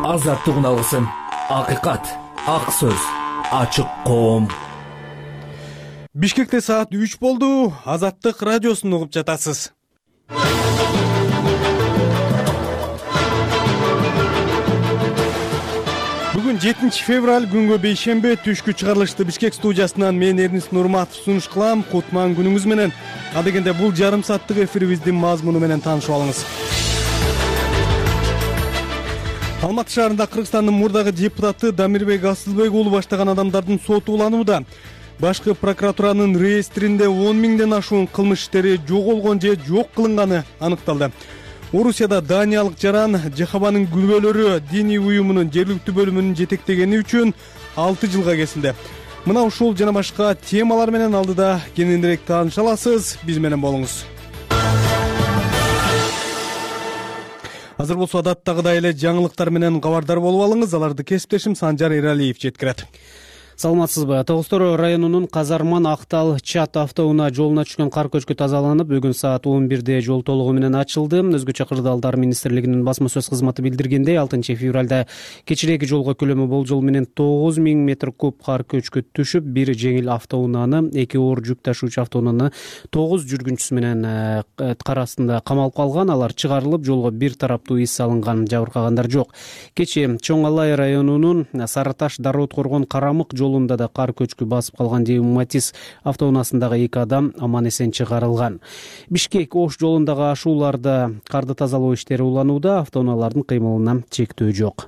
азаттык алсын. Акыйкат, ак сөз, ачык коом. Бишкекте саат 3 болду. Азаттык радиосун угуп жатасыз. Бүгүн 7 февраль күнгө бейшембе түшкү чыгарылышты Бишкек студиясынан мен Эрнис Нурматов сунуш кылам. Кутман күнүңүз менен. Адегенде бул жарым сааттык эфирибиздин мазмуну менен таанышып алыңыз. Алматы шаарында Кыргызстандын мурдагы депутаты Дамирбек Асылбек уулу баштаган адамдардын соту уланууда. Башкы прокуратуранын реестринде 10 миңден ашуун кылмыш иштери жоголгон же жок кылынганы аныкталды. Орусияда Даниялык жаран Жехабанын күлбөлөрү диний уюмунун жергиликтүү бөлүмүнүн жетектегени үчүн 6 жылга кесилди. Мына ушул жана башка темалар менен алдыда кененирээк тааныша аласыз. Биз менен болуңуз. Азыр болсо адаттагыдай эле жаңылыктар менен кабардар болуп алыңыз. Аларды кесиптешим Санжар Эралиев жеткирет. Саламатсызбы? Тогуз-Тороо районунун Казарман Актал Чат автоунаа жолуна түшкөн кар көчкү тазаланып, бүгүн саат 11де жол толугу менен ачылды. Өзгөчө Кырдаалдар министрлигинин басма сөз кызматы билдиргендей, 6 февралда кечирээки жолго көлөмү болжол менен 9000 метр куб кар көчкү түшүп, бир жеңил автоунааны, 2 оор жүк ташуучу автоунааны 9 жүргүнчүсү менен кар астында камалып калган. Алар чыгарылып, жолго бир тараптуу из салынган, жабыркагандар жок. Кечээ Чоң Алай районунун Сары Таш Дароо-Торгон Карамык жолунда да кар көчкү басып калган Матис автоунаасындагы 2 адам аман эсен чыгарылган. Бишкек Ош жолундагы ашууларда карды тазалоо иштери уланууда, автоунаалардын кыймылына чектөө жок.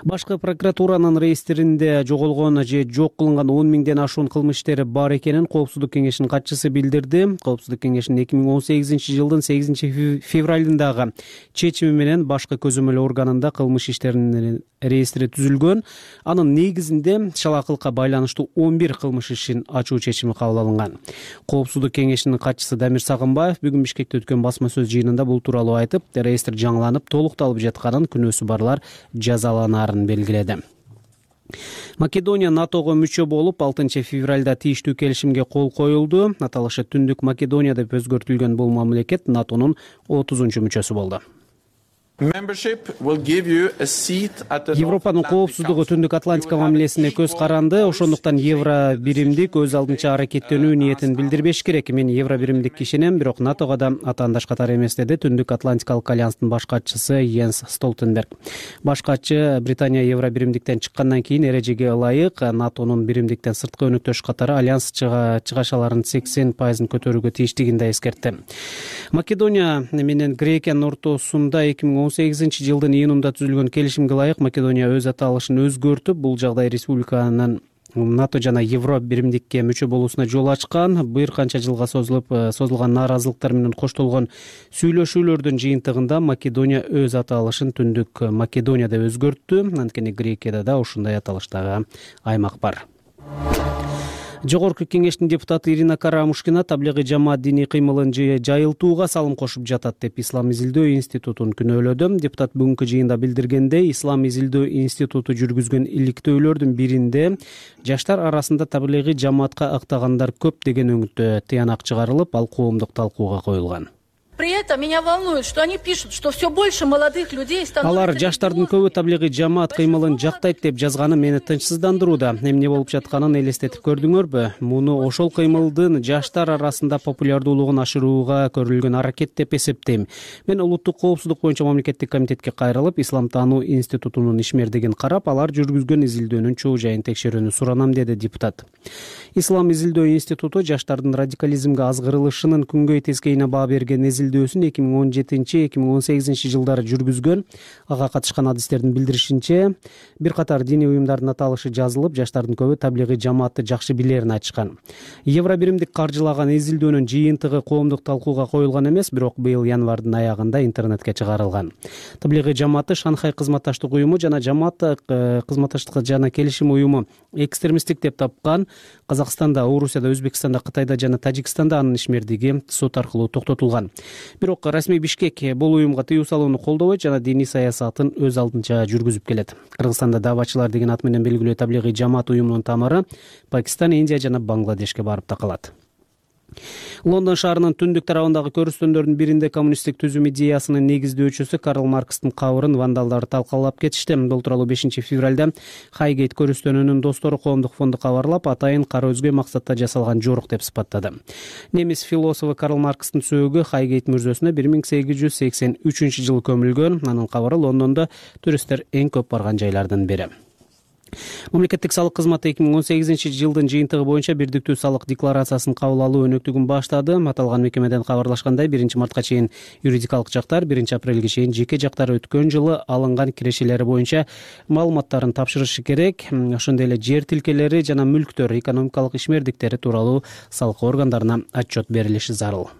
Башкы прокуратуранын реестринде жоголгон же жок кылынган 10 миңден ашуун кылмыш иштери бар экенин Коопсуздук кеңешинин катчысы билдирди. Коопсуздук кеңешинин 2018 жылдын 8 февралындагы чечими менен башкы көзөмөл органында кылмыш иштеринин реестри түзүлгөн. Анын негизинде шалакылыкка байланыштуу 11 кылмыш ишин ачуу чечими кабыл алынган. Коопсуздук кеңешинин катчысы Дамир Сагынбаев бүгүн Бишкекте өткөн басма сөз жыйынында бул тууралуу айтып, реестр жаңыланып, толукталып жатканын, күнөөсү барлар жазаланарын белгиледи. Македония НАТОго мүчө болуп, 6 февралда тийиштүү келишимге кол коюлду. Аталышы Түндүк Македония деп өзгөртүлгөн бул мамлекет НАТОнун 30-чу мүчөсү болду. Европанын коопсуздугу Түндүк Атлантика мамилесине көз каранды. Ошондуктан евро биримдик өз алдынча аракеттенүү ниетин билдирбеш керек. Мен евро биримдик ишенем, бирок НАТОго да атаандаш катары эмес, деди Түндүк Атлантикалык альянстын баш катчысы Йенс Столтенберг. Баш катчы Британия евро биримдиктен чыккандан кийин эрежеге ылайык НАТОнун биримдиктен сырткы өнөктөш катары альянс чыгашаларын 80% көтөрүүгө тийиштигин да эскертти. Македония менен Грекиянын ортосунда 2018 жылдын июнунда түзүлгөн келишимге ылайык Македония өз аталышын өзгөртүп, бул жагдай республиканын НАТО жана Евро биримдикке мүчө болуусуна жол ачкан. Бир канча жылга созулган нааразылыктар менен коштолгон сүйлөшүүлөрдүн жыйынтыгында Македония өз аталышын Түндүк Македония деп өзгөрттү. Анткени Грекияда да ушундай аталыштагы аймак бар. Жогорку кеңештин депутаты Ирина Карамушкина таблигый жамаат диний кыймылын жайылтууга салым кошуп жатат деп Ислам изилдөө институтун күнөөлөдү. Депутат бүгүнкү жыйында билдиргендей, Ислам изилдөө институту жүргүзгөн иликтөөлөрдүн биринде жаштар арасында таблигый жамаатка ыктагандар көп деген өңүттө тыянак чыгарылып, ал коомдук талкууга коюлган. При этом меня волнует, что они пишут, что все больше молодых людей становится... Алар жаштардын көбү таблигый жамаат кыймылын жактайт деп жазганы мени тынчсыздандырууда. Эмне болуп жатканын элестетип көрдүңөрбү? Муну ошол кыймылдын жаштар арасында популярдуулугун ашырууга көрүлгөн аракет деп эсептейм. Мен улуттук коопсуздук боюнча мамлекеттик комитетке кайрылып, Ислам таануу институтунун ишмердигин карап, алар жүргүзгөн изилдөөнүн чоо жайын текшерүүнү суранам, деди депутат. Ислам изилдөө институту жаштардын радикализмге азгырылышынын күнгөй тескейине баа берген изилдөөсүн 2017-2018 жылдары жүргүзгөн. Ага катышкан адистердин билдиришинче, бир катар диний уюмдардын аталышы жазылып, жаштардын көбү таблигый жамаатты жакшы билерин айтышкан. Евро биримдик каржылаган изилдөөнүн жыйынтыгы коомдук талкууга коюлган эмес, бирок быйыл январдын аягында интернетке чыгарылган. Таблигый жамааты Шанхай кызматташтык уюму жана жамаат кызматташтык жана келишим уюму экстремисттик деп тапкан. Казакстанда, Орусияда, Өзбекстанда, Кытайда жана Тажикстанда анын ишмердиги сот аркылуу токтотулган. Бирок расмий Бишкек бул уюмга тыюу салууну колдобойт жана диний саясатын өз алдынча жүргүзүп келет. Кыргызстанда давачылар деген ат менен белгилүү таблигый жамаат уюмунун тамыры Пакистан, Индия жана Бангладешке барып такалат. Лондон шаарынын түндүк тарабындагы көрүстөндөрдүн биринде коммунисттик түзүм идеясынын негиздөөчүсү Карл Маркстын кабырын вандалдар талкалап кетишти. Бул тууралуу 5 февралда Хайгейт көрүстөнүүнүн достору коомдук фонду кабарлап, атайын кара өзгө максатта жасалган жорук деп сыпаттады. Немис философу Карл Маркстын сөөгү Хайгейт мүрзөсүнө 1883-жылы көмүлгөн. Анын кабары Лондондо туристтер эң көп барган жайлардын бири. Мамлекеттик салык кызматы 2018-жылдын жыйынтыгы боюнча бирдиктүү салык декларациясын кабыл алуу өнөктүгүн баштады. Аталган мекемеден кабарлашкандай, 1-мартка чейин юридикалык жактар, 1-апрелге чейин жеке жактар өткөн жылы алынган кирешелери боюнча маалыматтарын тапшырышы керек. Ошондой эле жер тилкелери жана мүлктөр, экономикалык ишмердиктери тууралуу салык органдарына отчет берилиши зарыл.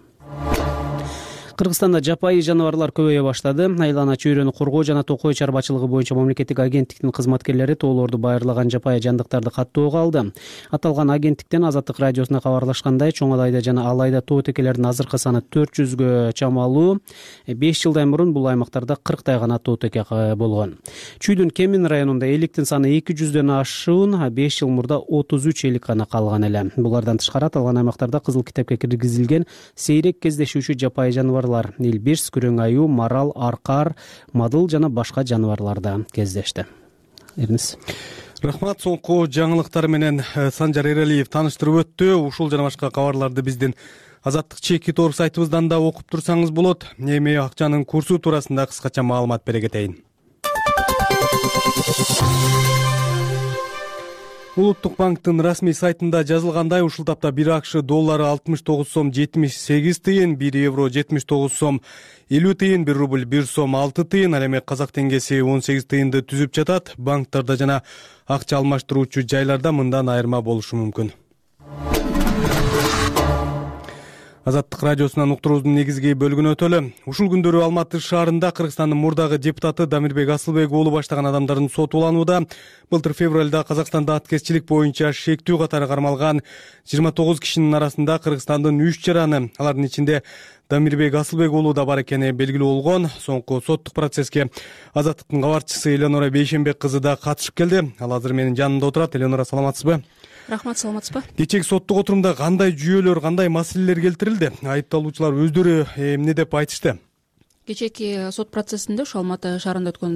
Кыргызстанда жапайы жаныбарлар көбөйө баштады. Айлана чөйрөнү коргоо жана токой чарбачылыгы боюнча мамлекеттик агенттиктин кызматкерлери тоолорду байырлаган жапайы жандыктарды каттоого алды. Аталган агенттиктен Азаттык радиосуна кабарлашкандай, чоң Алайда жана Алайда тоо текелердин азыркы саны 400гө чамалуу. 5 жылдан мурун бул аймактарда 40 гана тоо теке болгон. Чүйдүн Кемин районунда эликтин саны 200дөн ашуун, 5 жыл мурда 33 элик гана калган эле. Булардан тышкары аталган аймактарда кызыл китепке киргизилген сейрек кездешүүчү жапайы жаныбар илбирс, күрөң аюу, марал, аркар, мадыл жана башка жаныбарларда кездешти. Эрнис. Рахмат. Соңку жаңылыктар менен Санжар Эралиев тааныштырып өттү. Ушул жана башка кабарларды биздин Азаттык чекит орг сайтыбыздан да окуп турсаңыз болот. Эми акчанын курсу туурасында кыскача маалымат бере кетейин. Улуттук банктын расмий сайтында жазылгандай, ушул тапта 1 АКШ доллары 69 сом 78 тыйын, 1 евро 79 сом 50 тыйын, 1 рубль 1 сом 6 тыйын, ал эми казак теңгеси 18 тыйынды түзүп жатат. Банктарда жана акча алмаштыруучу жайларда мындан айырма болушу мүмкүн. Азаттык радиосунан уктуруубуздун негизги бөлүгүнө өтөлү. Ушул күндөрү Алматы шаарында Кыргызстандын мурдагы депутаты Дамирбек Асылбек уулу баштаган адамдардын соту уланууда. Былтыр февралда Казакстанда аткезчилик боюнча шектүү катары кармалган 29 кишинин арасында Кыргызстандын 3 жараны, алардын ичинде Дамирбек Асылбек уулу да бар экени белгилүү болгон. Соңку соттук процесске Азаттыктын кабарчысы Эленора Бейшенбек кызы да катышып келди. Ал азыр менин жанымда отурат. Эленора, саламатсызбы? Рахмат, саламатсызбы? Кечээки соттук отурумда кандай жүйөлөр, кандай маселелер келтирилди? Айыпталуучулар өздөрү эмне деп айтышты? Кечээки сот процессинде ошол Алматы шаарында өткөн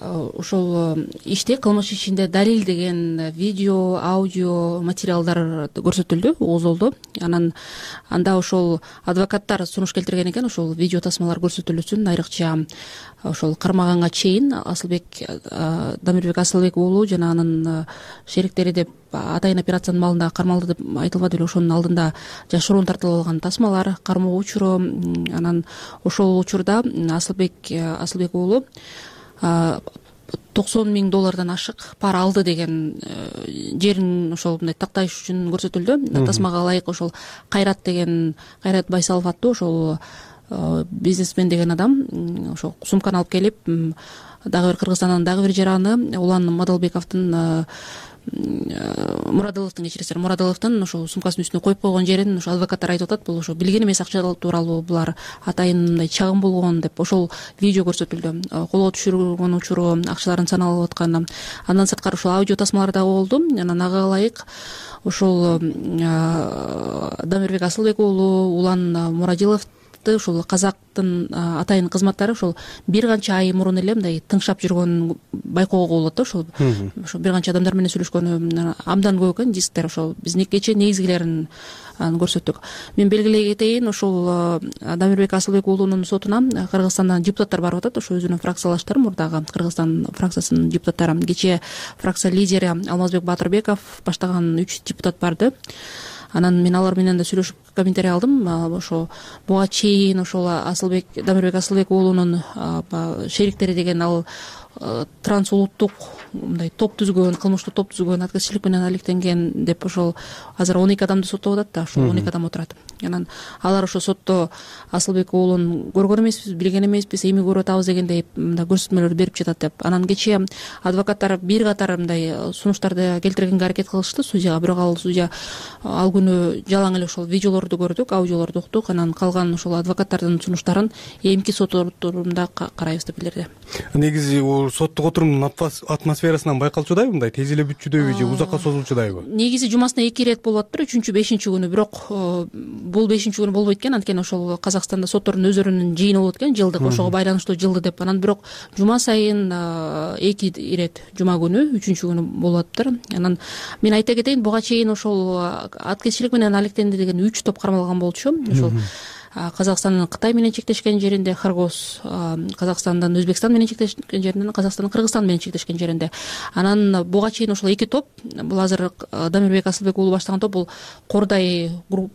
ошол иште, кылмыш ишинде далил деген видео, аудио материалдар көрсөтүлдү, угузулду. Анда ошол адвокаттар сунуш келтирген экен, ошол видео тасмалар көрсөтүлүшүн, айрыкча ошол кармаганга чейин Дамирбек Асылбек уулу жана анын шериктери деп атайын операциянын маалында кармалды деп айтылбады беле, ошонун алдында жашыруун тартылып алган тасмалар, кармоо учуру. Анан ошол учурда Асылбек уулу $90,000 ашык пара алды деген жерин ошол мындай такташ үчүн көрсөтүлдү. Тасмага ылайык ошол Кайрат Байсалов аттуу ошол бизнесмен деген адам ошол сумканы алып келип, дагы бир Кыргызстандын дагы бир жараны Улан Мадалбековдун Мурадыловдун ошол сумкасынын үстүнө коюп койгон жерин ошо адвокаттар айтып атат. Бул ошо билген эмес акча тууралуу, булар атайын мындай чагым болгон деп ошол видео көрсөтүлдү. Колго түшүргөн учуру, акчалардын саналып атканы. Андан сырткары ошол аудио тасмалар дагы болду. Анан ага ылайык ошол Дамирбек Асылбек уулу Улан Мурадилов ушул казактын атайын кызматтары ошол бир канча ай мурун эле мындай тыңшап жүргөн байкоого болот да. Ошол бир канча адамдар менен сүйлөшкөнү абдан көп экен, дисктер. Ошол биз кечээ негизгилерин көрсөттүк. Мен белгилей кетейин, ошол Дамирбек Асылбек уулунун сотуна Кыргызстандан депутаттар барып атат. Ошо өзүнүн фракциялаштары, мурдагы Кыргызстан фракциясынын депутаттары. Кечээ фракция лидери Алмазбек Батырбеков баштаган 3 депутат барды. Анан мен алар менен да сүйлөшүп комментарий алдым. Ошо буга чейин ошол Дамирбек Асылбек уулунун шериктери деген ал трансулуттук мындай топ түзгөн, кылмыштуу топ түзгөн, аткезчилик менен алектенген деп ошол азыр 12 адамды соттоп атат да. Ошол 12 адам отурат. Анан алар ошо сотто Асылбек уулун көргөн эмеспиз, билген эмеспиз, эми көрүп атабыз дегендей мындай көрсөтмөлөр берип жатат деп. Анан кечээ адвокаттар бир катар мындай сунуштарды келтиргенге аракет кылышты судьяга, бирок ал судья ал күнү жалаң эле ошол видеолорду видеолорду көрдүк, аудиолорду уктук. Анан калган ошол адвокаттардын сунуштарын эмки сот отурумда карайбыз деп билдирди. Негизи соттук отурумдун атмосферасынан байкалчудайбы, мындай тез эле бүтчүдөйбү же узакка созулчудайбы? Негизи жумасына 2 ирет болуп атыптыр, 3-5 күнү. Бирок бул 5 күнү болбойт экен, анткени ошол Казакстанда соттордун өздөрүнүн жыйыны болот экен, жылдык, ошого байланыштуу жылды деп. Анан бирок жума сайын 2 ирет жума күнү, 3 күнү болуп атыптыр. Анан мен айта кетейин, буга чейин ошол аткезчилик менен алектенди деген 3 топ кармалган болчу. Ошол Казакстандын Кытай менен чектешкен жеринде, Кыргыз Казакстандан Өзбекстан менен чектешкен жеринде, Казакстандын Кыргызстан менен чектешкен жеринде. Анан буга чейин ошол 2 топ, бул азыр Дамирбек Асылбек уулу баштаган топ, бул Кордай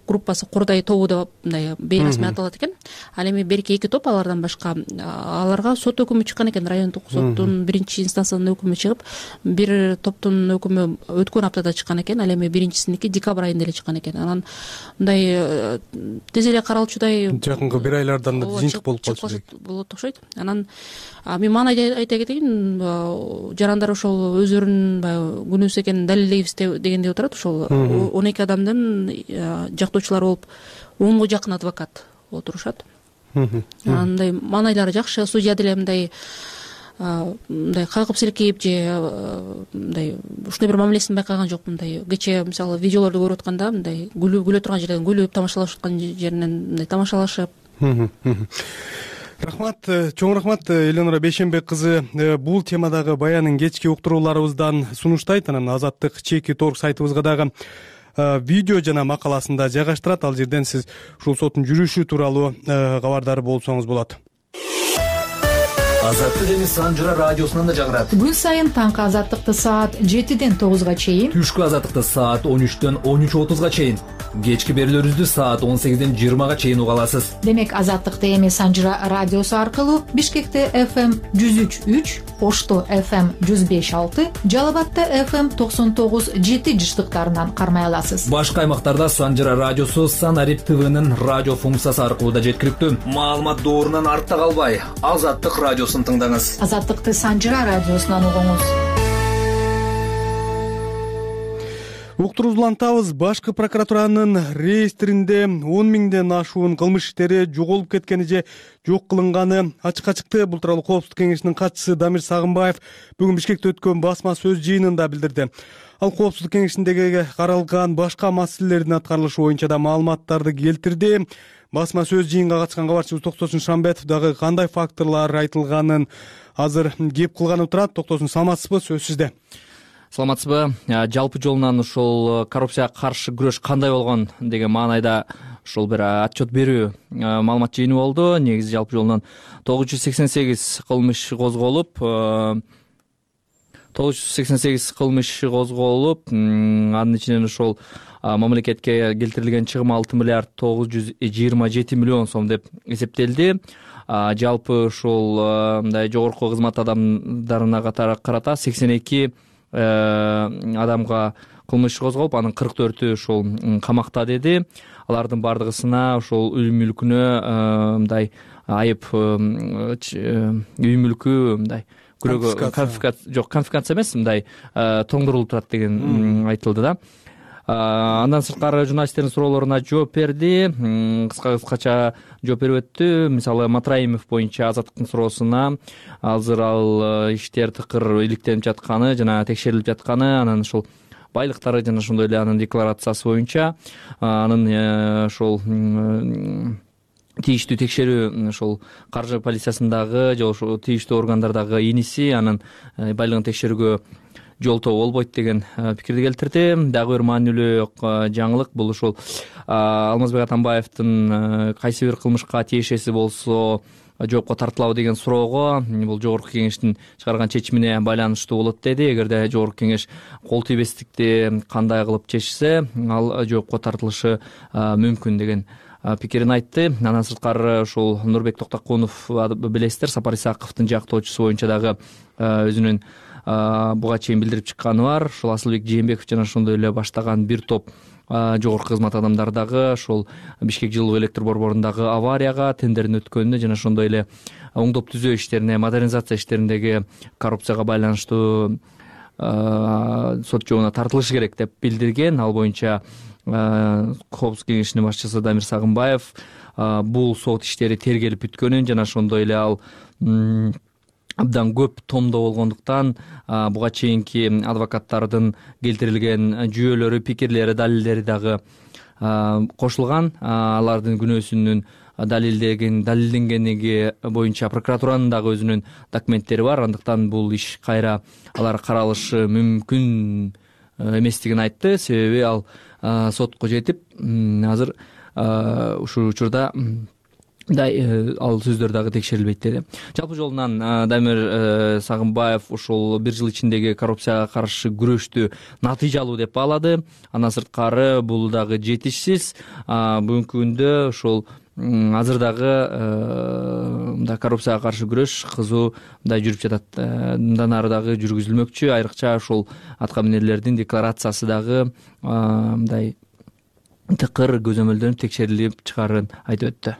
группасы, Кордай тобу деп мындай бейрасмий аталат экен. Ал эми берки 2 топ, алардан башка аларга сот өкүмү чыккан экен, райондук соттун 1-инстанциянын өкүмү чыгып, бир топтун өкүмү өткөн аптада чыккан экен, ал эми биринчисиники декабрь айында эле чыккан экен. Анан мындай тез эле каралчудай жакынкы 1 айлардан жыйынтык болуп калчу болот окшойт. Анан мен мага айта кетейин, жарандар ошол өздөрүнүн баягы күнөөсү экенин далилдейбиз дегендей отурат. Ошол 12 адамдын жактоочулары болуп 10го жакын адвокат отурушат. Андай маанайлары жакшы, судья деле мындай кагып силкейип же мындай ушундай бир мамилесин байкаган жок. Мындай кечээ мисалы видеолорду көрүп атканда мындай күлө турган жерден күлүп, тамашалашып аткан жеринен мындай тамашалашып. Рахмат, чоң рахмат Эленора Бейшенбек кызы бул темадагы баянын кечки уктурууларыбыздан сунуштайт. Анан Азаттык Чеки.org сайтыбызга дагы видео жана макаласында жайгаштырат. Ал жерден сиз ушул соттун жүрүшү тууралуу кабардар болсоңуз болот. Азаттык эми Санжыра радиосунан да жагырат. Күн сайын таңкы Азаттыкты саат 7-ден 9-га чейин, Түшкү Азаттыкты саат 13-төн 13:30-га чейин, кечки берүүлөрүбүздү саат 18-ден 20-га чейин уга аласыз. Демек Азаттыкты эми Санжыра радиосу аркылуу Бишкекте FM 103.3, Ошто FM 105.6, Жалал-Абадта FM 99.7 жыштыктарынан кармай аласыз. Башка аймактарда Санжыра радиосу Санарип ТВнын радио функциясы аркылуу да жеткиликтүү. Маалымат доорунан артта калбай, Азаттык радиосун тыңдаңыз. Азаттыкты Санжыра радиосунан угуңуз. Уктуруубузду улантабыз. Башкы прокуратуранын реестринде 10 миңден ашуун кылмыш иштери жоголуп кеткени же жок кылынганы ачыкка чыкты. Бул тууралуу Коопсуздук кеңешинин катчысы Дамир Сагынбаев бүгүн Бишкекте өткөн басма сөз жыйынында билдирди. Ал Коопсуздук кеңешиндеги каралган башка маселелердин аткарылышы боюнча да маалыматтарды келтирди. Басма сөз жыйынга катышкан кабарчыбыз Токтосун Шамбетов дагы кандай факторлор айтылганын азыр кеп кылганы турат. Токтосун, саламатсызбы? Сөз сизде. Саламатсызбы? Жалпы жолунан ушул коррупцияга каршы күрөш кандай болгон деген маанайда ушул бир отчет берүү маалымат жыйыны болду. Негизи жалпы жолунан 988 кылмыш козголуп, анын ичинен ошол мамлекетке келтирилген чыгым 6 миллиард 927 миллион сом деп эсептелди. Жалпы ушул мындай жогорку кызмат адамдарына карата 82 адамга кылмыш козголуп, анын 44-ү ушул камакта деди. Алардын бардыгысына ушул үй мүлкүнө мындай айып, үй мүлкү мындай конфискация эмес, мындай тоңдурулуп турат деген айтылды да. Андан сырткары журналисттердин суроолоруна жооп берди. Кыскача жооп берип өттү. Мисалы Матраимов боюнча Азаттыктын суроосуна азыр ал иштер тыкыр иликтенип жатканы жана текшерилип жатканы, анан ушул байлыктары жана ошондой эле анын декларациясы боюнча анын ошол тийиштүү текшерүү ошол каржы полициясындагы же ошол тийиштүү органдардагы иниси анын байлыгын текшерүүгө жолтоо болбойт деген пикирди келтирди. Дагы бир маанилүү жаңылык бул ушул Алмазбек Атамбаевдин кайсы бир кылмышка тиешеси болсо жоопко тартылабы деген суроого бул жогорку кеңештин чыгарган чечимине байланыштуу болот деди. Эгерде жогорку кеңеш кол тийбестикти кандай кылып чечсе, ал жоопко тартылышы мүмкүн деген пикирин айтты. Андан сырткары ушул Нурбек Токтокунов, билесиздер, Сапар Исаковдун жактоочусу боюнча дагы өзүнүн буга чейин билдирип чыкканы бар. Ушул Асылбек Жээнбеков жана ошондой эле баштаган бир топ жогорку кызмат адамдары дагы ушул Бишкек жылуу электр борборундагы аварияга, тендердин өткөнүнө жана ошондой эле оңдоп түзөө иштерине, модернизация иштериндеги коррупцияга байланыштуу сот жообуна тартылышы керек деп билдирген. Ал боюнча Коопсуздук кеңешинин башчысы Дамир Сагынбаев бул сот иштери тергелип бүткөнүн жана ошондой эле ал абдан көп томдо болгондуктан буга чейинки адвокаттардын келтирилген жүйөлөрү, пикирлери, далилдери дагы кошулган. Алардын күнөөсүнүн далилденгенлиги боюнча прокуратуранын дагы өзүнүн документтери бар. Андыктан бул иш кайра алар каралышы мүмкүн эместигин айтты. Себеби ал сотко жетип азыр ушул учурда ал сөздөр дагы текшерилбейт деди. Жалпы жолунан Дамир Сагынбаев ушул бир жыл ичиндеги коррупцияга каршы күрөштү натыйжалуу деп баалады. Андан сырткары бул дагы жетишсиз. Бүгүнкү күндө ушул азыр дагы коррупцияга каршы күрөш кызуу жүрүп жатат. Мындан ары дагы жүргүзүлмөкчү. Айрыкча ушул аткаминерлердин декларациясы дагы тыкыр көзөмөлдөнүп текшерилип чыгарын айтып өттү.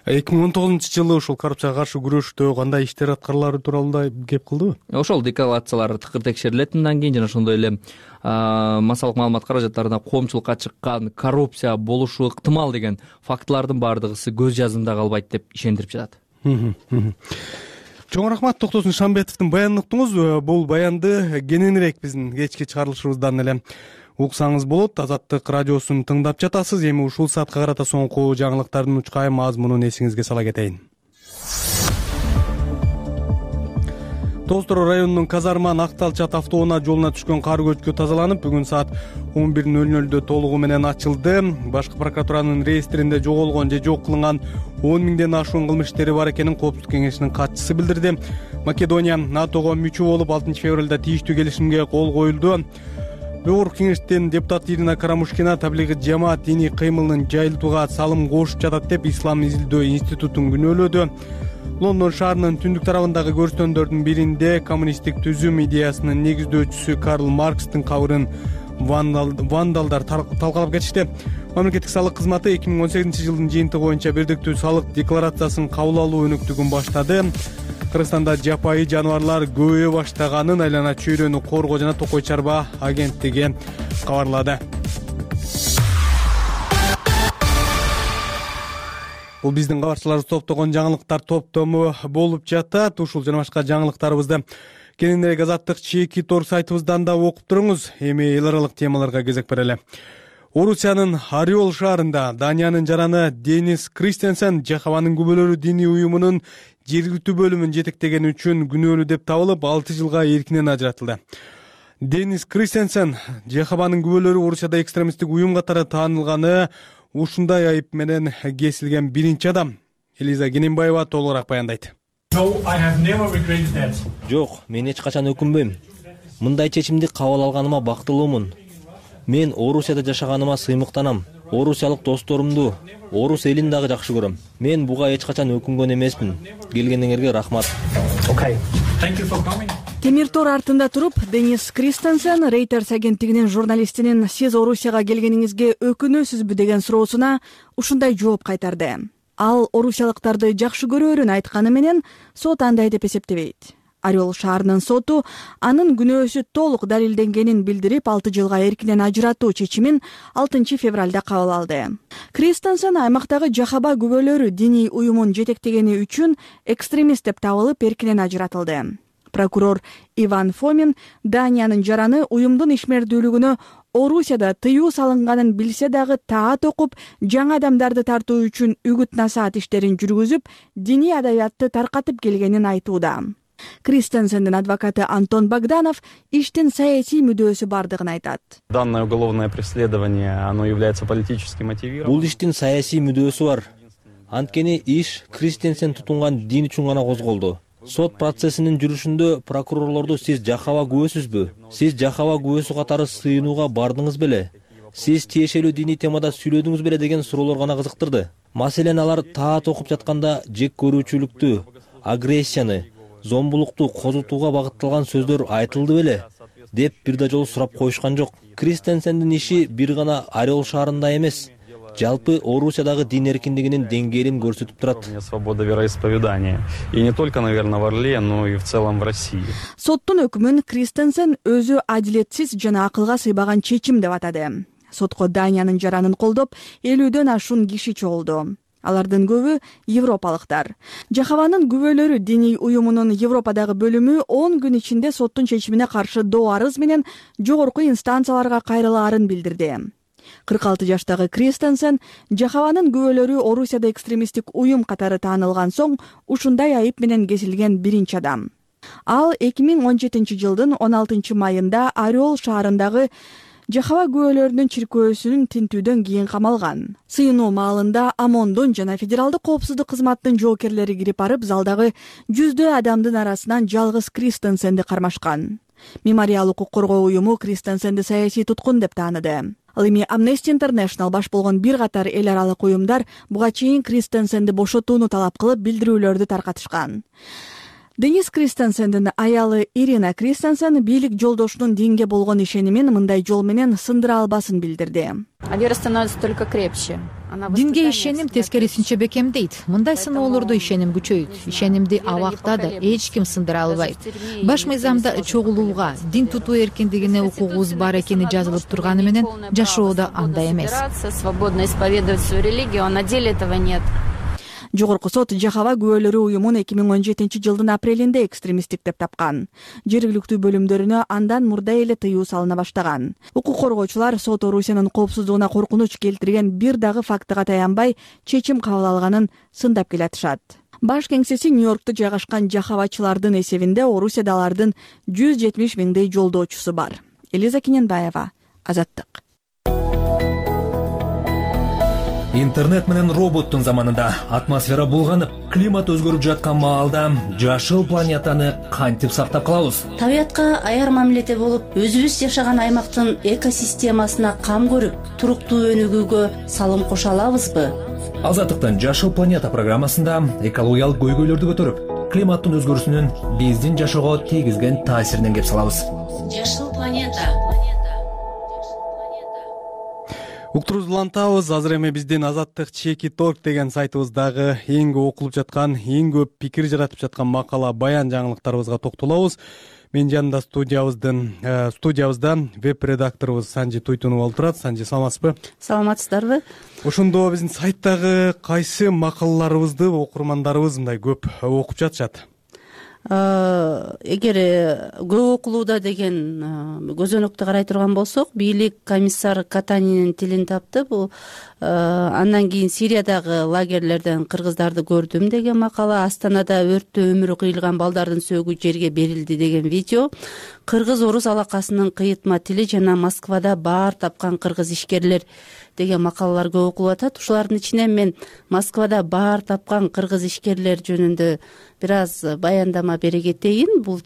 2019-жылы ушул коррупцияга каршы күрөштө кандай иштер аткарылары тууралуу да кеп кылдыбы? Ошол декларациялар тыкыр текшерилет мындан кийин жана ошондой эле массалык маалымат каражаттарына коомчулукка чыккан коррупция болушу ыктымал деген фактылардын баардыгысы көз жазымда калбайт деп ишендирип жатат. Чоң рахмат. Токтосун Шамбетовдун баянын уктуңуз. Бул баянды кененирээк биздин кечки чыгарылышыбыздан эле уксаңыз болот. Азаттык радиосун тыңдап жатасыз. Эми ушул саатка карата соңку жаңылыктардын учкай мазмунун эсиңизге сала кетейин. Тоостор районунун Казарман Актал Чат автоунаа жолуна түшкөн кар көчкү тазаланып, бүгүн саат 11:00 толугу менен ачылды. Башкы прокуратуранын реестринде жоголгон же жок кылынган 10 миңден ашуун кылмыш иштери бар экенин Коопсуздук кеңешинин катчысы билдирди. Македония НАТОго мүчө болуп 6 февралда тийиштүү келишимге кол коюлду. Өкмөттүк кеңештин депутаты Ирина Карамушкина таблигый жамаат диний кыймылын жайылтууга салым кошуп жатат деп Ислам изилдөө институтун күнөөлөдү. Лондон шаарынын түндүк тарабындагы көрстөндөрдүн биринде коммунисттик түзүм идеясынын негиздөөчүсү Карл Маркстин кабырын вандалдар талкалап кетишти. Мамлекеттик салык кызматы 2018-жылдын жыйынтыгы боюнча бирдиктүү салык декларациясын кабыл алуу өнүктүгүн баштады. Кыргызстанда жапайы жаныбарлар көбөйө баштаганын Айлана чөйрөнү коргоо жана Токой чарба агенттиги кабарлады. Бул биздин кабарчыларыбыз топтогон жаңылыктар топтому болуп жатат. Ушул жана башка жаңылыктарыбызды кененирээк Азаттык чеки торг сайтыбыздан да окуп туруңуз. Эми эл аралык темаларга кезек берели. Орусиянын Ориол шаарында Даниянын жараны Денис Кристенсен Жахаванын күбөлөрү диний уюмунун жергиликтүү бөлүмүн жетектегени үчүн күнөөлүү деп табылып 6 жылга эркинен ажыратылды. Денис Кристенсен Жахаванын күбөлөрү Орусияда экстремисттик уюм катары таанылганы ушундай айып менен кесилген биринчи адам. Элиза Кененбаева толугураак баяндайт. Жок, мен эч качан өкүнбөйм. Мындай чечимди кабыл алганыма бактылуумун. Мен Орусияда жашаганыма сыймыктанам. Орусиялык досторумду, орус элин дагы жакшы көрөм. Мен буга эч качан өкүнгөн эмесмин. Келгениңерге рахмат. Темир тор артында туруп, Денис Кристенсен Reuters агенттигинин журналистинин "Сиз Орусияга келгениңизге өкүнөсүзбү?" деген суроосуна ушундай жооп кайтарды. Ал орусиялыктарды жакшы көрөөрүн айтканы менен сот андай деп эсептебейт. Ориол шаарынын соту анын күнөөсү толук далилденгенин билдирип, 6 жылга эркинен ажыратуу чечимин 6 февралда кабыл алды. Кристенсен аймактагы Жахаба күбөлөрү диний уюмун жетектегени үчүн экстремист деп табылып, эркинен ажыратылды. Прокурор Иван Фомин Даниянын жараны уюмдун ишмердүүлүгүнө Орусияда тыюу салынганын билсе дагы таат окуп, жаңы адамдарды тартуу үчүн үгүт-насаат иштерин жүргүзүп, диний адабиятты таркатып келгенин айтууда. Кристенсендин адвокаты Антон Богданов иштин саясий мүдөөсү бардыгын айтат. Данное уголовное преследование, оно является политически мотивированным. Бул иштин саясий мүдөөсү бар. Анткени иш Кристенсен тутунган дин үчүн гана козголду. Сот процессинин жүрүшүндө прокурорлорду "Сиз Жахава күбөсүзбү? Сиз Жахава күбөсү катары сыйынууга бардыңыз беле? Сиз тиешелүү диний темада сүйлөдүңүз беле?" деген суроолор гана кызыктырды. Маселен, алар таат окуп жатканда жек көрүүчүлүктү, агрессияны, зомбулукту козутууга багытталган сөздөр айтылды беле деп бир да жолу сурап коюшкан жок. Кристенсендин иши бир гана Ориол шаарында эмес, жалпы Орусиядагы дин эркиндигинин деңгээлин көрсөтүп турат. Свобода вероисповедания. И не только, наверное, в Орле, но и в целом в России. Соттун өкүмүн Кристенсен өзү адилетсиз жана акылга сыйбаган чечим деп атады. Сотко Даниянын жаранын колдоп 50дөн ашуун киши чогулду. Алардын көбү европалыктар. Жахаванын күбөлөрү диний уюмунун Европадагы бөлүмү 10 күн ичинде соттун чечимине каршы доо арыз менен жогорку инстанцияларга кайрылаарын билдирди. 46 жаштагы Кристенсен Жахаванын күбөлөрү Орусияда экстремисттик уюм катары таанылган соң ушундай айып менен кесилген биринчи адам. Ал 2017 жылдын 16 майында Орел шаарындагы Жахава күбөлөрүнүн чиркөөсүнүн тинтүүдөн кийин камалган. Сыйынуу маалында ОМОНдун жана Федералдык коопсуздук кызматтын жоокерлери кирип барып, залдагы жүздөй адамдын арасынан жалгыз Кристенсенди кармашкан. Мемориал укук коргоо уюму Кристенсенди саясий туткун деп тааныды. Ал эми Amnesty International баш болгон бир катар эл аралык уюмдар буга чейин Кристенсенди бошотууну талап кылып билдирүүлөрдү таркатышкан. Денис Кристенсендин аялы Ирина Кристенсен бийлик жолдошунун динге болгон ишенимин мындай жол менен сындыра албасын билдирди. Вера становится только крепче. Динге ишеним тескерисинче бекемдейт. Мындай сыноолордо ишеним күчөйт. Ишенимди абакта да эч ким сындыра албайт. Баш мыйзамда чогулууга, дин тутуу эркиндигине укугубуз бар экени жазылып турганы менен жашоодо андай эмес. Свободно исповедовать свою религию, а на деле этого нет. Жогорку сот Жахава күбөлөрү уюмун 2017 жылдын апрелинде экстремисттик деп тапкан. Жергиликтүү бөлүмдөрүнө андан мурда эле тыюу салына баштаган. Укук коргоочулар сот Орусиянын коопсуздугуна коркунуч келтирген бир дагы фактыга таянбай чечим кабыл алганын сындап келатышат. Баш кеңсеси Нью-Йоркто жайгашкан жахавачылардын эсебинде Орусияда алардын 170 миңдей жолдоочусу бар. Элиза Кененбаева, Азаттык. Интернет менен роботтун заманында атмосфера булганып, климат өзгөрүп жаткан маалда жашыл планетаны кантип сактап калабыз? Табиятка аяр мамиледе болуп, өзүбүз жашаган аймактын экосистемасына кам көрүп, туруктуу өнүгүүгө салым кошо алабызбы? Азаттыктын Жашыл планета программасында экологиялык көйгөйлөрдү көтөрүп, климаттын өзгөрүүсүнүн биздин жашоого тийгизген таасиринен кеп салабыз. Жашыл планета. Уктурубузду улантабыз. Азыр эми биздин Азаттык Чеки.org деген сайтыбыздагы эң көп окулуп жаткан, эң көп пикир жаратып жаткан макала, баян жаңылыктарыбызга токтолобуз. Менин жанымда студиябызда веб-редакторубуз Санжи Туйтунов болуп турат. Санжи, саламатсызбы? Саламатсыздарбы? Ошондо биздин сайттагы кайсы макалаларыбызды окурмандарыбыз мындай көп окуп жатышат? Эгер көп окулууда деген көзөнөктү карай турган болсок, бийлик комиссар Катанинин тилин тапты. Бул андан кийин Сириядагы лагерлерден кыргыздарды көрдүм деген макала, Астанада өрттө өмүрү кыйылган балдардын сөөгү жерге берилди деген видео, кыргыз-орус алакасынын кыйытма тили жана Москвада баар тапкан кыргыз ишкерлер деген макалалар көп окулуп атат. Ушулардын ичинен мен Москвада баар тапкан кыргыз ишкерлер жөнүндө бир аз баяндама бере кетейин. Бул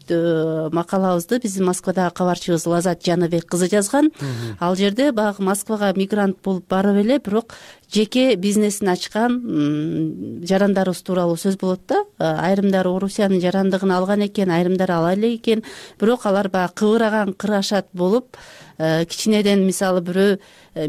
макалабызды биздин Москвадагы кабарчыбыз Лазат Жаныбек кызы жазган. Ал жерде баягы Москвага мигрант болуп барып эле, бирок жеке бизнесин ачкан жарандарыбыз тууралуу сөз болот да. Айрымдары Орусиянын жарандыгын алган экен, айрымдары ала элек экен, бирок алар баягы кыбыраган кырашат болуп, кичинеден мисалы бирөө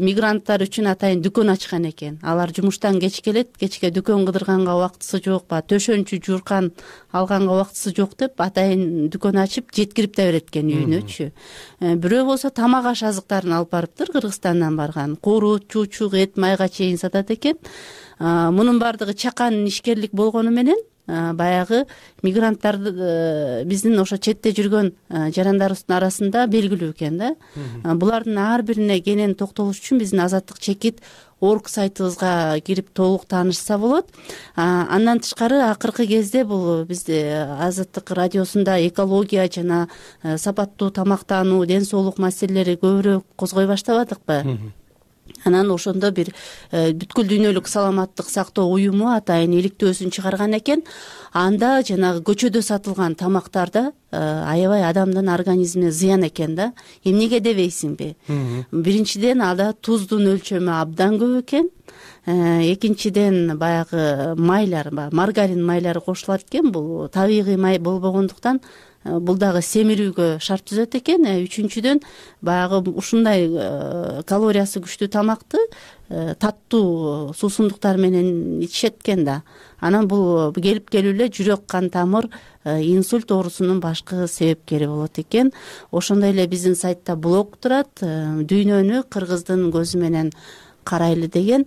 мигранттар үчүн атайын дүкөн ачкан экен. Алар жумуштан кеч келет, кечке дүкөн кыдырганга убактысы жок, төшөнчү журкан алганга убактысы жок деп атайын дүкөн ачып жеткирип да берет экен үйүнөчү. Бирөө болсо тамак аш азыктарын алып барыптыр, Кыргызстандан барган. Курут, чучук, эт, майга чейин сатат экен. Мунун баардыгы чакан ишкерлик болгону менен баягы мигранттарды биздин ошо четте жүргөн жарандарыбыздын арасында белгилүү экен да. Булардын ар бирине кенен токтолуш үчүн биздин Азаттык Чекит.org сайтыбызга кирип толук таанышса болот. Андан тышкары акыркы кезде бул бизде Азаттык радиосунда экология жана сапаттуу тамактануу, ден соолук маселелери көбүрөөк козгой баштабадыкпы? Анан ошондо бир бүткүл дүйнөлүк саламаттык сактоо уюму атайын иликтөөсүн чыгарган экен. Анда жанагы көчөдө сатылган тамактарда аябай адамдын организмине зыян экен да. Эмнеге дебейсиңби? Биринчиден ада туздун өлчөмү абдан көп экен. экинчиден баягы майлар, маргарин майлары кошулат экен. Бул табигый май болбогондуктан бул дагы семирүүгө шарт түзөт экен. Үчүнчүдөн баягы ушундай калориясы күчтүү тамакты таттуу суусундуктар менен ичишет экен да. Анан бул келип келип эле жүрөк, кан тамыр, инсульт оорусунун башкы себепкери болот экен. Ошондой эле биздин сайтта блог турат, дүйнөнү кыргыздын көзү менен карайлы деген.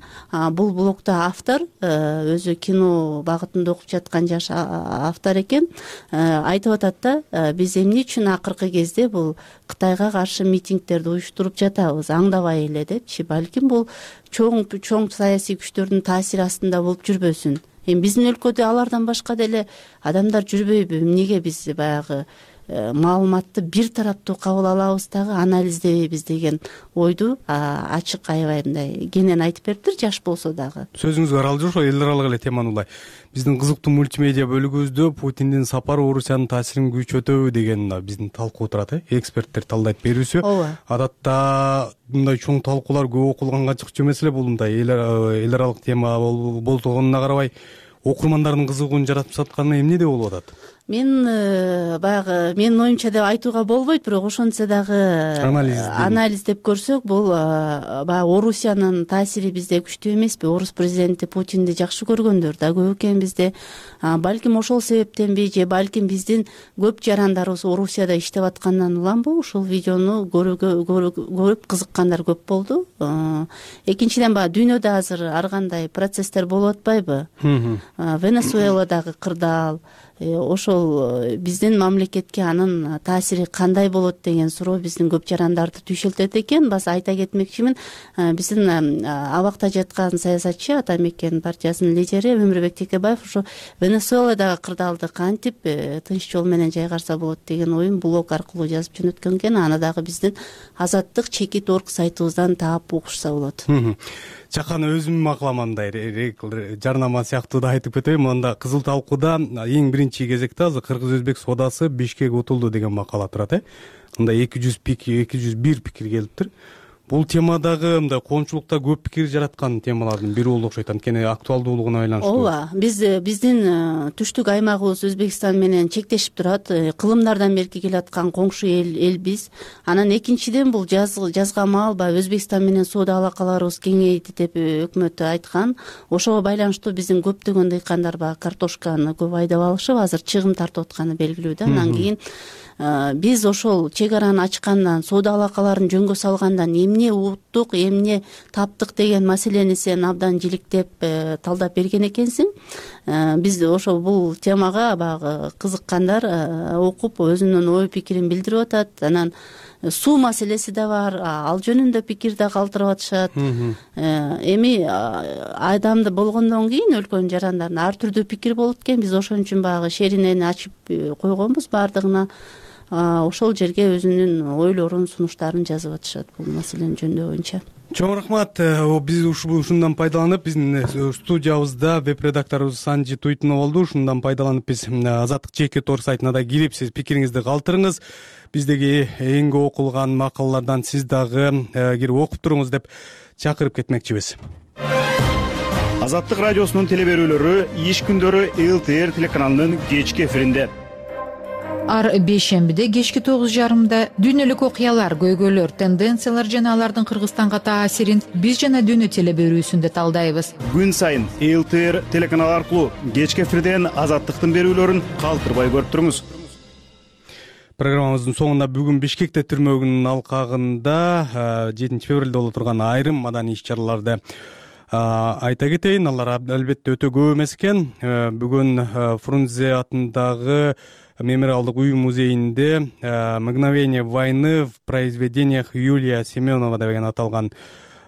Бул блогда автор өзү кино багытында окуп жаткан жаш автор экен. Айтып атат да, биз эмне үчүн акыркы кезде бул Кытайга каршы митингдерди уюштуруп жатабыз, аңдабай эле депчи. Балким бул чоң саясий күчтөрдүн таасири астында болуп жүрбөсүн. Эми биздин өлкөдө алардан башка деле адамдар жүрбөйбү? Эмнеге биз баягы маалыматты бир тараптуу кабыл алабыз дагы анализдебейбиз деген ойду ачык аябай мындай кенен айтып бериптир, жаш болсо дагы. Сөзүңүзгө аралашып ошо эл аралык эле теманы улай. Биздин кызыктуу мультимедиа бөлүгүбүздө Путиндин сапары Орусиянын таасирин күчөтөбү деген биздин талкуу турат. Эксперттер талдайт берүүсү. Адатта мындай чоң талкуулар көп окулганга чыкчу эмес эле. Бул мындай эл аралык тема болгонуна карабай окурмандардын кызыгуун жаратып сатканы эмнеде болуп атат? Мен баягы менин оюмча деп айтууга болбойт, бирок ошентсе дагы анализ деп көрсөк, бул баягы Орусиянын таасири бизде күчтүү эмеспи? Орус президенти Путинди жакшы көргөндөр да көп экен бизде. Балким ошол себептенби, же балким биздин көп жарандарыбыз Орусияда иштеп аткандан уламбы ушул видеону көрүп кызыккандар көп болду. Экинчиден баягы дүйнөдө азыр ар кандай процесстер болуп атпайбы? Венесуэладагы кырдаал, ошол биздин мамлекетке анын таасири кандай болот деген суроо биздин көп жарандарды түйшөлтөт экен. Баса айта кетмекчимин, биздин абакта жаткан саясатчы, Ата Мекен партиясынын лидери Өмүрбек Текебаев ошо Венесуэладагы кырдаалды кантип тынч жол менен жайгарса болот деген оюн блог аркылуу жазып жөнөткөн экен. Аны дагы биздин Азаттык чекит орг сайтыбыздан таап угушса болот. Чакан өзүм макламандай жарнама сыяктуу да айтып кетейин. Анда кызыл талкууда эң биринчи кезекте азыр кыргыз-өзбек соодасы Бишкек утулду деген макала турат. Мында 201 пикир келиптир. Бул темадагы мындай коомчулукта көп пикир жараткан темалардын бири болуп окшойт, анткени актуалдуулугуна байланыштуу. Ооба, биздин түштүк аймагыбыз Өзбекстан менен чектешип турат. Кылымдардан берки келаткан коңшу эл биз. Анан экинчиден бул жазга маал Өзбекстан менен соода алакаларыбыз кеңейди деп өкмөт айткан. Ошого байланыштуу биздин көптөгөн дыйкандар картошканы көп айдап алышып, азыр чыгым тартып атканы белгилүү да. Анан кийин биз ошол чек араны ачкандан, соода алакаларын жөнгө салгандан эмне уттук, эмне таптык деген маселени сен абдан жиликтеп талдап берген экенсиң. Биз ошол бул темага баягы кызыккандар окуп өзүнүн ой пикирин билдирип атат. Анан суу маселеси да бар, ал жөнүндө пикир да калтырып атышат. Эми адамды болгондон кийин өлкөнүн жарандарына ар түрдүү пикир болот экен. Биз ошон үчүн баягы шеринени ачып койгонбуз баардыгына. Ошол жерге өзүнүн ойлорун, сунуштарын жазып атышат бул маселени жөндөй боюнча. Чоң рахмат. Биз ушундан пайдаланып, биздин студиябызда веб-редакторубуз Санжи Туйтунов болду. Ушундан пайдаланып биз Азаттык чекит орг сайтына да кирип, сиз пикириңизди калтырыңыз. Биздеги эң көп окулган макалалардан сиз дагы кирип окуп туруңуз деп чакырып кетмекчибиз. Азаттык радиосунун теле берүүлөрү иш күндөрү ЛТР телеканалынын кечки эфиринде. Ар бейшембиде кечки 9:30 дүйнөлүк окуялар, көйгөйлөр, тенденциялар жана алардын Кыргызстанга таасирин биз жана дүйнө теле берүүсүндө талдайбыз. Күн сайын ЛТР телеканалы аркылуу кечки эфирден Азаттыктын берүүлөрүн калтырбай көрүп туруңуз. Программабыздын соңунда бүгүн Бишкекте түрмөгүнүн алкагында 7 февралда боло турган айрым маданий иш-чараларды айта кетейин. Алар албетте өтө көп эмес экен. Бүгүн Фрунзе атындагы мемориалдык үй музейинде «Мгновение войны» в произведениях Юлия Семенова деген аталган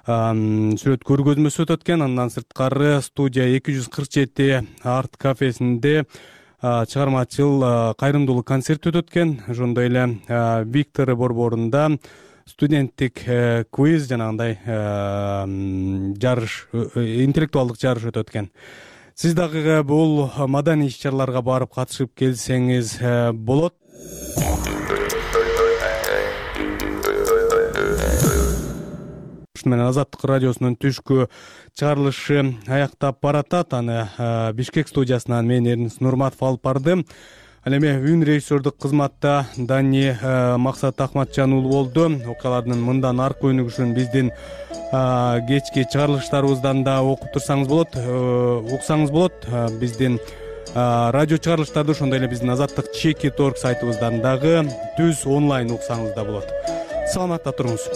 сүрөт көргөзмөсү өтөт экен. Андан сырткары студия 247 арт кафесинде чыгармачыл кайрымдуулук концерт өтөт экен. Ошондой эле Виктор борборунда студенттик квиз жанагындай жарыш, интеллектуалдык жарыш өтөт экен. Сиз дагы бул маданий иш-чараларга барып катышып келсеңиз болот. Ушуну менен Азаттык радиосунун түшкү чыгарылышы аяктап баратат. Аны Бишкек студиясынан мен Эрнис Нурматов алып бардым. Ал эми үн режиссердук кызматта Дани Максат Ахматжан уулу болду. Окуялардын мындан аркы өнүгүшүн биздин кечки чыгарылыштарыбыздан да окуп турсаңыз болот, уксаңыз болот. Биздин радио чыгарылыштарды ошондой эле биздин Азаттык Чеки.org сайтыбыздан дагы түз онлайн уксаңыз да болот. Саламатта туруңуз.